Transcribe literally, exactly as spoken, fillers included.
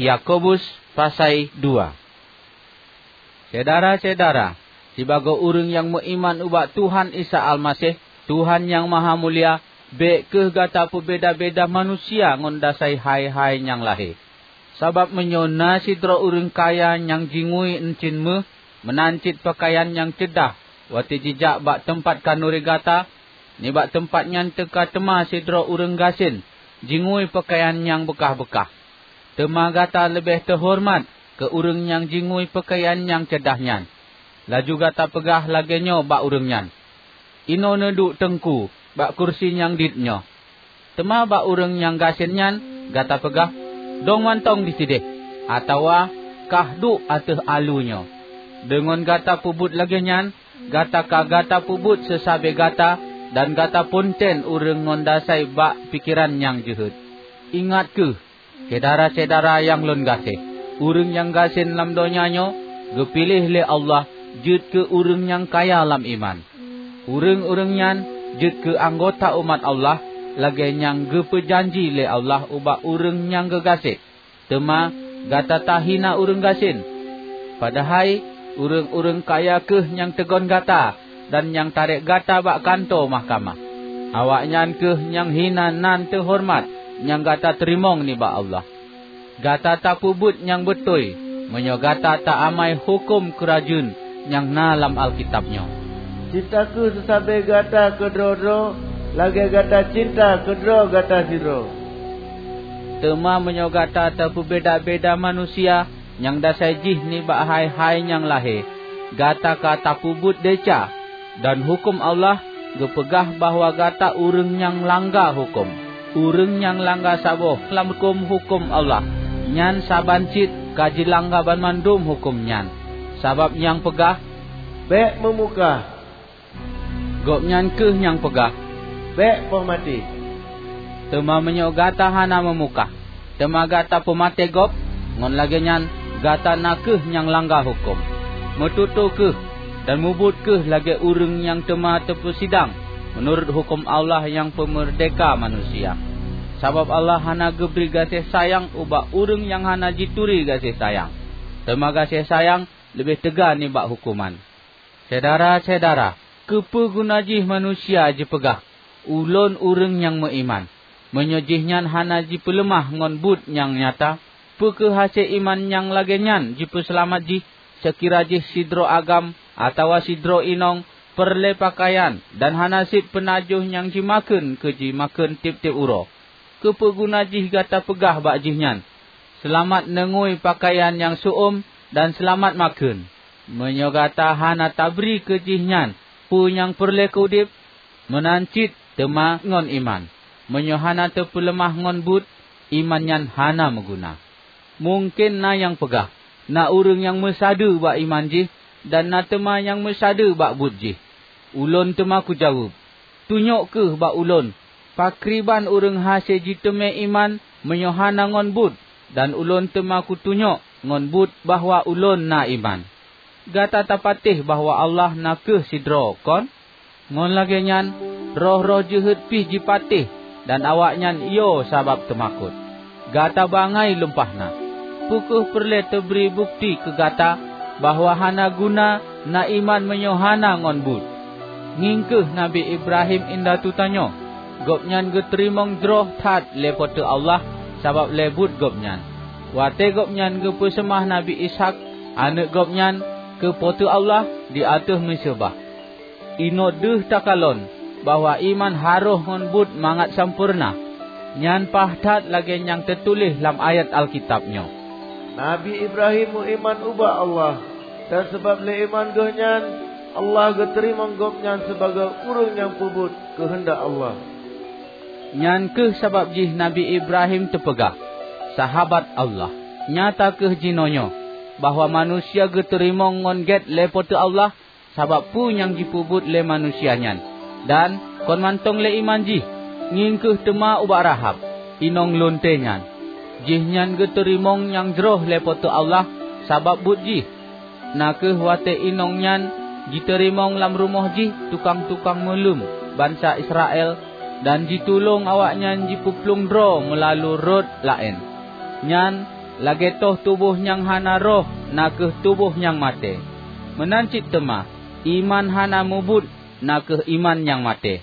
Yakobus pasai dua. Syedara-syedara, sibagoe ureuëng nyang meuiman ubak Tuhan Isa Almaseh, Tuhan Nyang Mahamulia, bék kheueh gata peubeda-beda manusia ngon dasai hai-hai nyang lahé. Sabab meunyoe na sidroe ureuëng kaya nyang jingui euncien méuh, meunan cit peukayan nyang ceudah watée jijak bak teumpat khanuri gata, nibak teumpat nyan teuka teuma sidroe ureuëng gasien jingui peukayan nyang beukah-beukah. Teuma gata leubeh teuhoreumat keu ureuëng nyang jingui peukayan nyang ceudah nyan. Laju gata peugah lagée nyoe bak ureuëng nyan, "Inoe neuduek Teungku bak kursi nyang dit nyoe." Teuma bak ureuëng nyang gasien nyan gata peugah, "Dong mantong disideh," atawa "Kah duek ateueh aleue nyoe." Deungon gata peubuet lagée nyan, gata ka gata peubuet seusabe gata dan gata peuntén ureuëng ngon dasai bak pikeran nyang jeuhet. Ingat kheueh, Syedara-syedara nyang lôn gaséh, ureuëng nyang gasien lam donya nyoe geupiléh lé Allah jeuet keu ureuëng nyang kaya lam iman. Ureuëng-ureuëng nyan jeuet keu anggota umat Allah lagée nyang geupeujanji lé Allah ubak ureuëng nyang geugaséh. Teuma gata tahina ureuëng gasien. Padahai ureuëng-ureuëng kaya kheueh nyang teugon gata dan nyang tarek gata bak kantô mahkamah. Awaknyan kheueh nyang hina nan teuhoreumat nyang gata teurimong nibak Allah. Gata tapeubuet nyang beutôi meunyoe gata ta-amai huköm keurajeuen nyang na lam Alkitab nyoe, "Cinta kheueh seusabe gata keudroe-droe lagée gata cinta keudroe gata sidroe." Teuma meunyoe gata tapeubeda-beda manusia nyang dasai jih nibak hai-hai nyang lahé, gata ka tapeubuet desya, dan huköm Allah geupeugah bahwa gata ureuëng nyang langga huköm. Ureuëng nyang langga saboh lam huköm-huköm Allah, nyan saban cit ka jilangga banmandum huköm nyan. Sabab nyang peugah, "Bék meumukah," gobnyan kheueh nyang peugah, "Bék poh maté." Teuma meunyoe gata hana meumukah, teuma gata peumaté gob, ngon lagée nyan gata na kheueh nyang langga huköm. Meututoe kheueh dan mubuet kheueh lagée ureuëng nyang teuma teupeusidang meunurot huköm Allah nyang peumeurdeka manusia. Sabab Allah hana geubri gaséh sayang ubak ureuëng nyang hana jituri gaséh sayang, teuma gaséh sayang leubeh teuga nibak huköman. Syedara-syedara, keupeue guna jih manusia jipeugah, "Ulôn ureuëng nyang meuiman," meunyoe jihnyan hana jipeuleumah ngon buet nyang nyata? Peu kheueh hase iman nyang lagée nyan jipeuseulamat jih, seukira jih sidroe agam atawa sidroe inong peureulée peukayan dan hana cit peunajoh nyang jimakheun keu jimakheun tieb-tieb uroe? Keupeue guna jih gata peugah bak jihnyan, "Seulamat neungui peukayan nyang seu-uem dan seulamat makheun," meunyoe gata hana tabri keu jihnyan peue nyang peureulée keu udeb? Meunan cit teuma ngon iman, meunyoe hana teupeuleumah ngon buet, iman nyan hana meuguna. Mungken na nyang peugah, "Na ureuëng nyang meusadeue bak iman jih, dan na teuma nyang meusadeue bak buet jih." Ulôn teuma kujaweueb, "Tunyok kheueh bak ulôn pakriban ureuëng hase jiteumé iman meunyoe hana ngon buet, dan ulôn teuma kutunyok ngon buet bahwa ulôn na iman." Gata tapatéh bahwa Allah na kheueh sidroe, kon? Ngon lagée nyan, roh-roh jeuhet pih jipatéh dan awaknyan yo sabab teumakot. Gata bangai lumpah na! Peu kheueh peureulée teubri bukeuti keu gata bahwa hana guna na iman meunyoe hana ngon buet? Ngieng kheueh Nabi Ibrahim indatu tanyoe. Gobnyan geuteurimong jroh that lé Po teu Allah sabab lé buet gobnyan. Watée gobnyan geupeuseumah Nabi Ishak, aneuëk gobnyan, keu Po teu Allah di ateueh meuseubah. Inoe deuh takalon bahwa iman harôh ngon buet mangat sampoereuna. Nyan paih that lagée nyang teutuléh lam ayat Alkitab nyoe, "Nabi Ibrahim meuiman ubak Allah, dan sabab lé iman geuh nyan Allah geuteurimong gobnyan sibagoe ureuëng nyang peubuet keuheundak Allah." Nyan kheueh sabab jih Nabi Ibrahim teupeugah, "Sahabat Allah." Nyata kheueh jinoenyoe bahwa manusia geuteurimong ngon gét lé Po teu Allah sabab peue nyang jipeubuet lé manusia nyan, dan kon mantong lé iman jih. Ngieng kheueh teuma ubak Rahab, inong lonte nyan. Jihnyan geuteurimong nyang jroh lé Po teu Allah sabab buet jih, na kheueh watée inong nyan jiteurimong lam rumoh jih tukang-tukang meuleuem bansa Israel dan jitulông awaknyan jipeuplueng droe meulalu rot laén. Nyan lagée toh tuboh nyang hana roh na kheueh tuboh nyang maté. Meunan cit teuma, iman hana mubuet na kheueh iman nyang maté.